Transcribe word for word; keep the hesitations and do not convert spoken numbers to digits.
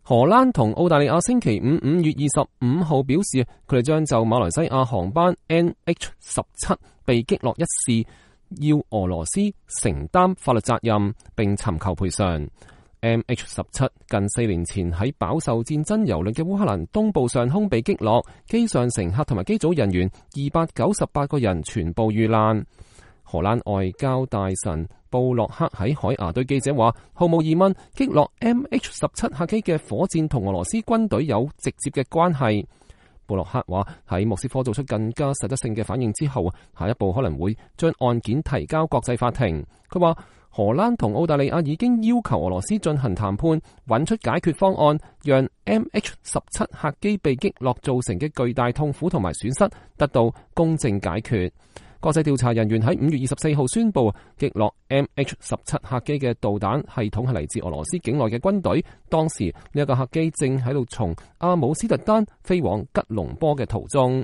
荷蘭同澳大利亞星期五五月二十五號表示，佢哋將就馬來西亞航班 N H 十七被擊落一事，要俄羅斯承擔法律責任，並尋求賠償。M H 十七近四年前喺飽受戰爭蹂躪嘅烏克蘭東部上空被擊落，機上乘客同埋機組人員二百九十八個人全部遇難。荷蘭外交大臣布洛克喺海牙對記者話，毫無疑問，擊落 M H 十七客機嘅火箭同俄羅斯軍隊有直接嘅關係。布洛克話喺莫斯科做出更加實質性嘅反應之後，下一步可能會將案件提交國際法庭。佢話荷蘭同澳大利亞已經要求俄羅斯進行談判，揾出解決方案，讓 M H 十七客機被擊落造成嘅巨大痛苦同埋損失得到公正解決。國際調查人員喺五月二十四號宣布，擊落 M H 十七客機嘅導彈系統係嚟自俄羅斯境內嘅軍隊。當時呢一個客機正喺度從阿姆斯特丹飛往吉隆坡嘅途中。